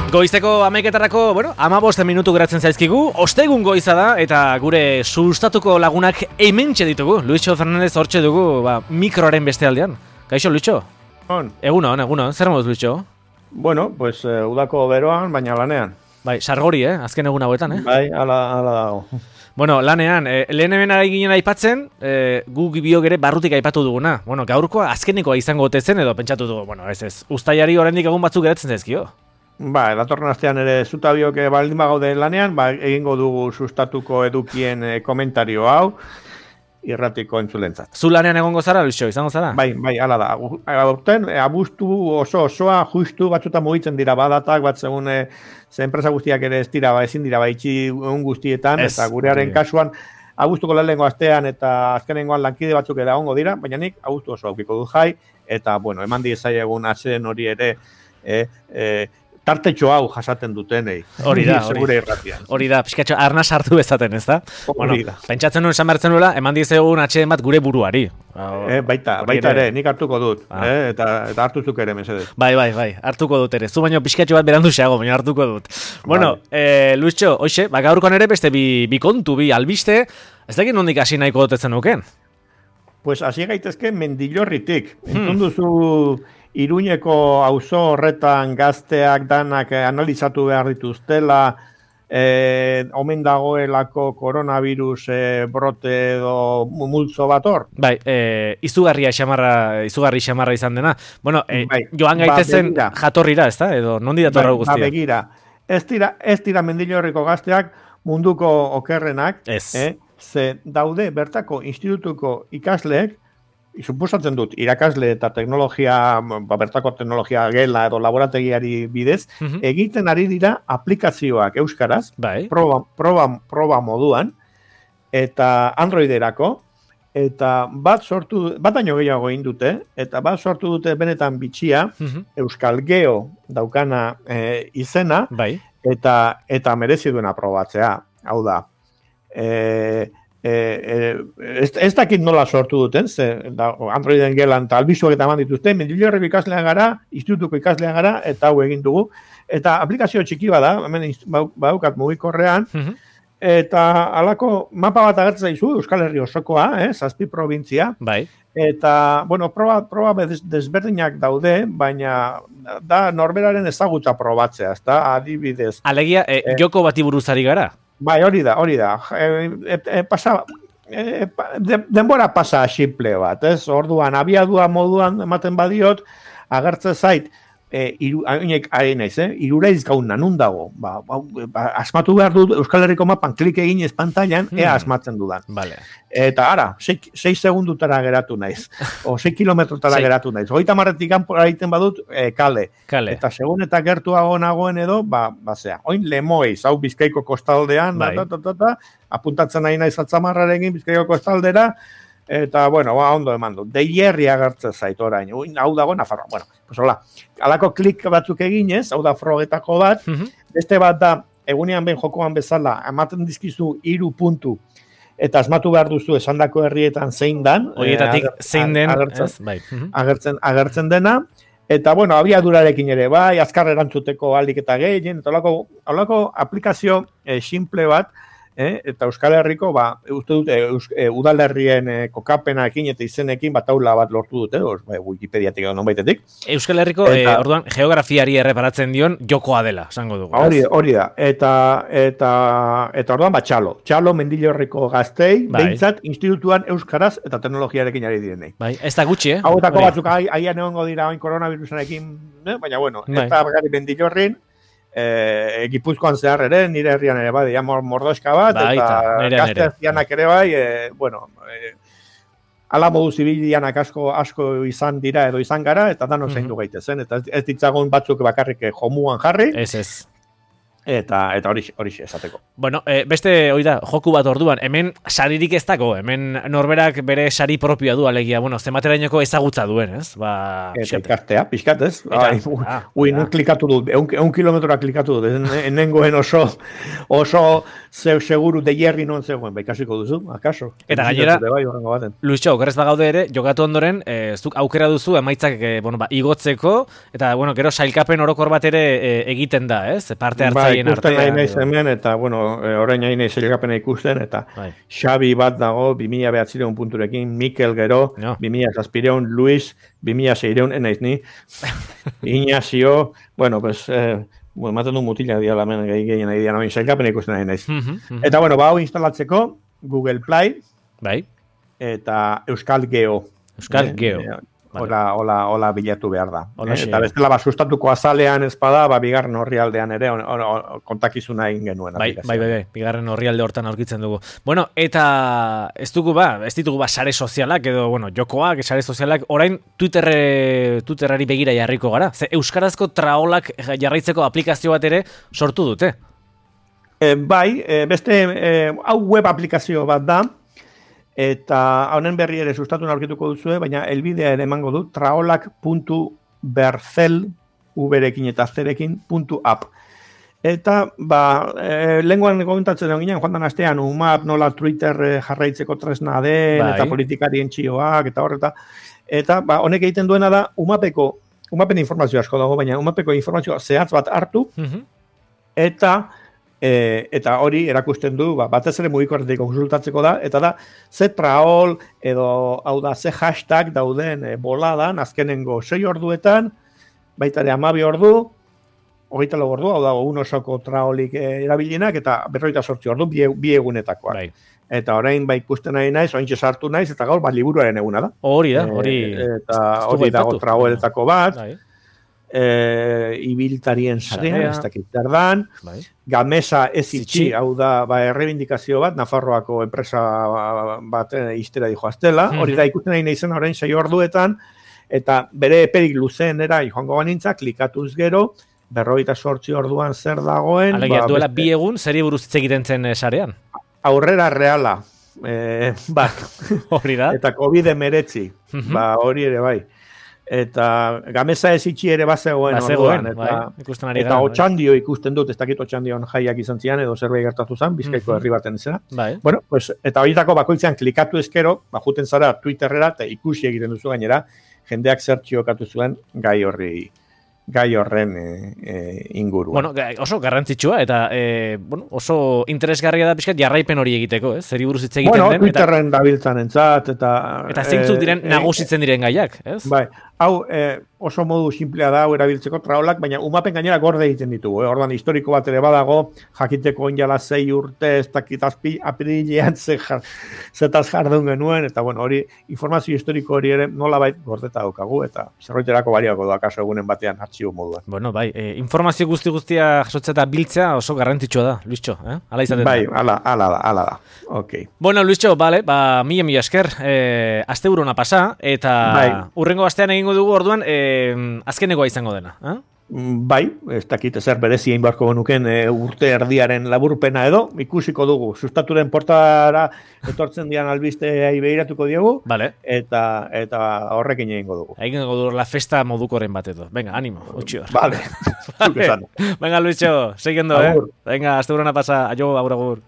Goizeko 11etarako, 15 minutu geratzen zaizkigu, ostegun goiza da, eta gure sustatuko lagunak hementxe ditugu. Luitxo Fernandez hortxe dugu, mikroaren beste aldean. Kaixo, Luitxo? Egunon, zer moduz, Luitxo? Bueno, pues udako beroan, baina lanean. Bai, sargori, azken egun hauetan, Bai, ala dago. Lanean, lehen hemen ginen aipatzen, gu biok ere barrutik aipatu duguna. Gaurkoa azkenekoa izango ote zen edo pentsatu dugu, ez. Uztailari oraindik egun batzuk geratzen zaizkio. Datorren astean ere zutabiok baldin bagaude lanean, egingo dugu sustatuko edukien komentario hau, irratiko entzulentzat. Zu lanean egongo zara, Luixo, izango zara? Bai, ala da. Aurten, abuztu osoa, justu batzuta mugitzen dira badatak, bat segun ze enpresa guztiak ere ezin dira itxi egun guztietan, eta gurearen kasuan, abuztuko lehenengo astean eta azkenengoan lankide batzuk eda ongo dira, baina nik abuztu oso aukiko du jai, eta, eman diezaiegun atzen hori ere, tartetxo hau jasaten dutenei. Hori da. Hori da, pixkatxo arna sartu bezaten, ez da? Hori da. Pentsatzen nuen esan bertzen nuela, eman dizegun atxeden bat gure buruari. Baita ere, nik hartuko dut. Eta hartuzuk ere, mesedez. Bai, hartuko dut ere. Zu baino pixkatxo bat berandu xeago, baina hartuko dut. Luixo, hoxe, gaurkoan ere beste bi kontu, bi albiste, ez dakit nondik hasi nahiko dutetzen nuken? Pues hasi gaitezke Mendillorritik. Entzun duzu Iruñeko auzo horretan gazteak danak analizatu behar dituztela, omen dagoelako koronavirus brote edo multzo bat hor? Bai, izugarri xamarra izan dena. Joan gaitezen jatorrira, ez da? Edo nondi datorra guztia? Begira, ez dira Mendillorriko gazteak munduko okerrenak, ze daude bertako institutuko ikasleek, suposatzen dut, irakasle eta teknologia, bertako teknologia gela edo laborategiari bidez, egiten ari dira aplikazioak euskaraz, proba moduan, eta Androiderako, eta bat baino gehiago egin dute, eta bat sortu dute benetan bitxia, Euskal Geo daukana izena, eta merezi duena probatzea, hau da. Ez dakit nola sortu duten, Androiden gelan eta albizuak eta eman dituzte, Mendillorriko ikaslean gara, institutuko ikaslean gara, eta hau egin dugu. Eta aplikazio txiki bada, hemen badaukat mugikorrean, eta halako mapa bat agertzen zaizu, Euskal Herri osokoa, 7 probintzia. Eta, proba desberdinak daude, baina da norberaren ezagutza probatzea, ezta, adibidez. Alegia, joko bati buruzari gara? Bai, hori da. Denbora pasa simple bat, ez? Orduan, abiadua moduan ematen badiot, agertzen zait, irureiz gauna, nun dago? Asmatu behar dut Euskal Herriko mapan klik egin ez pantailan, asmatzen dudan. Eta ara, 6 segundutara geratu naiz, o 6 kilometrotara geratu naiz. 30 kanpora egiten badut, kale. Eta segun eta gertuago nagoen edo, zea. Oin Lemoiz, hau Bizkaiko kostaldean, apuntatzen nahi naiz atzamarrarekin Bizkaiko kostaldera, eta, ondo eman du. Deierri agertzen zait orain, hau dago Nafarroa. Hola, alako klik batzuk eginez, hau da frogetako bat, beste bat da, egunean behin jokoan bezala, ematen dizkizu 3 puntu, eta asmatu behar duzu esandako herrietan zein dan. Horietatik zein den, agertzen dena, eta, abiadurarekin ere, azkar erantzuteko alik eta gehien, eta holako aplikazio simple bat, eta Euskal Herriko, uste dute, udalerrien kokapenakin eta izenekin taula bat lortu dute, Wikipediatik edo nonbaitetik. Euskal Herriko, orduan, geografiari erreparatzen dion jokoa dela, esango dugu. Hori da, eta orduan, txalo Mendillorriko gaztei, behintzat, institutuan euskaraz eta teknologiarekin ari direnei. Ez da gutxi, Hauetako batzuk aian egongo dira oin koronavirusarekin, baina, ez da bagari Mendillorrin, Gipuzkoan zehar ere, nire herrian ere bai, mordoska bat, eta gazteazianak ere bai, ala modu zibilianak asko izan dira edo izan gara, eta danok zein du gaitezen, eta ez ditzagun batzuk bakarrik jomuan jarri. Eta hori esateko. Bueno, beste, oida, joku bat orduan, hemen saririk ez dago, hemen norberak bere sari propioa du, alegia, bueno, zematerainoko ezagutza duen, ez? Eta ikastea, pixkat, ez? Klikatu dut, 1 kilometroa klikatu dut, enengoen oso seguru de hierri non zegoen, ikasiko duzu, akaso? Eta gainera, Luisio, okerrez bagaude ere, jokatu ondoren, zuk aukera duzu, emaitzak, igotzeko, eta, gero sailkapen orokor bat ere egiten da, ez? Parte hartzaien ikusten nahi naiz hemen, eta, orain nahi naiz sailkapena ikusten, eta Xabi bat dago, 2009 punturekin, Mikel gero, 2007, Luis, 2006, enaiz ni, Ignacio, ematen du mutila diala hemen gehien nahi dian, sailkapena ikusten nahi naiz. Eta, hau instalatzeko, Google Play, eta Euskal Geo. Hola bilatu behar da. Eta bestela sustatuko azalean ezpada, bigarren orrialdean ere kontakizuna egin genuen. Bai, bigarren orrialde hortan aurkitzen dugu. Bueno, eta ez ditugu sare sozialak, edo, jokoak, sare sozialak, orain Twitterari begira jarriko gara. Ze euskarazko traolak jarraitzeko aplikazio bat ere sortu dute. Beste, hau web aplikazio bat da, eta honen berri ere sustatu aurkituko duzue, baina elbidea ere emango du, traolak.berzel, uberekin eta zerekin, .app. Eta, lenguan komentatzen ginen, joan dan astean, UMAP, nola Twitter jarraitzeko tresna den, eta politikarien txioak, eta horreta. Eta, honek egiten duena da, UMAPen informazio asko dago, baina UMAPeko informazioa zehatz bat hartu, eta hori erakusten du, batez ere mugikorretik konsultatzeko da, eta da, ze traol, edo, hau da, ze hashtag dauden boladan, azkenengo 6 orduetan, baita ere 12 ordu, 24 ordu, hau da, un osoko traolik erabilienak, eta 48 ordu, bi egunetakoak. Eta orain ikusten nahi naiz, ointxe sartu naiz, eta gaur, liburuaren eguna da. Hori da, eta hori dago traoletako bat, ibiltarien sarea, ez dakit zerdan, Gamesa ez itxi, hau da, errebindikazio bat, Nafarroako enpresa bat iztera dijoaztela, hori da ikusten nahi naizen orain 6 orduetan, eta bere eperik luzenera joango banintzak, klikatuz gero, 48 orduan zer dagoen. Alegia, duela 2 egun, zeri buruz hitz egiten zen sarean? Aurrera reala, hori da. Eta COVID-19, hori ere bai. Eta Gamesa ez itxi ere bazegoen orduan, eta Otxandio ikusten dut, ez dakit Otxandion jaiak izan zian, edo zerbait gertatu zen, Bizkaiko herri baten izena. Bueno, eta horietako bakoitzean klikatu ezkero, juten zara Twitterrera, eta ikusi egiten duzu gainera, jendeak zertxiokatu zuen gai horren inguruan. Bueno, oso garrantzitsua, eta oso interesgarria da pixkat jarraipen hori egiteko, ez? Zeri buruz hitz egiten den. Bueno, Twitterren dabiltzan entzat, eta zeintzuk diren nagusitzen diren gaiak, ez? Bai, hau oso modu simplea da, hau erabiltzeko traolak, baina umapen gainera gorde egiten ditugu, ordan historiko bat ere badago, jakiteko onjala 6 urte, ez dakit apirilean zetaz jardun genuen, eta hori informazio historiko hori ere nolabait gordeta daukagu, eta zerroiterako baliako da kaso egunen batean artxibo moduan. Bueno, informazio guztia jasotzea eta biltzea oso garrantzitsua da, Luistxo, Ala izaten da. Bai, ala da, ok. Bueno, Luistxo, mila esker, aste buruna pasa, eta urrengo astean egingo dugu orduan, azkenekoa izango dena, Bai, ez dakit ezer berezi egin beharko genuken urte erdiaren laburpena edo, ikusiko dugu, sustaturen portara etortzen dian albizteai behiratuko diogu, eta horrekin egingo dugu. Egingo dugu la festa modukoren bat edo. Venga, ánimo, utxio. Vale. Venga, Luisio, seguiendo, Venga, hasta una pasa, agur.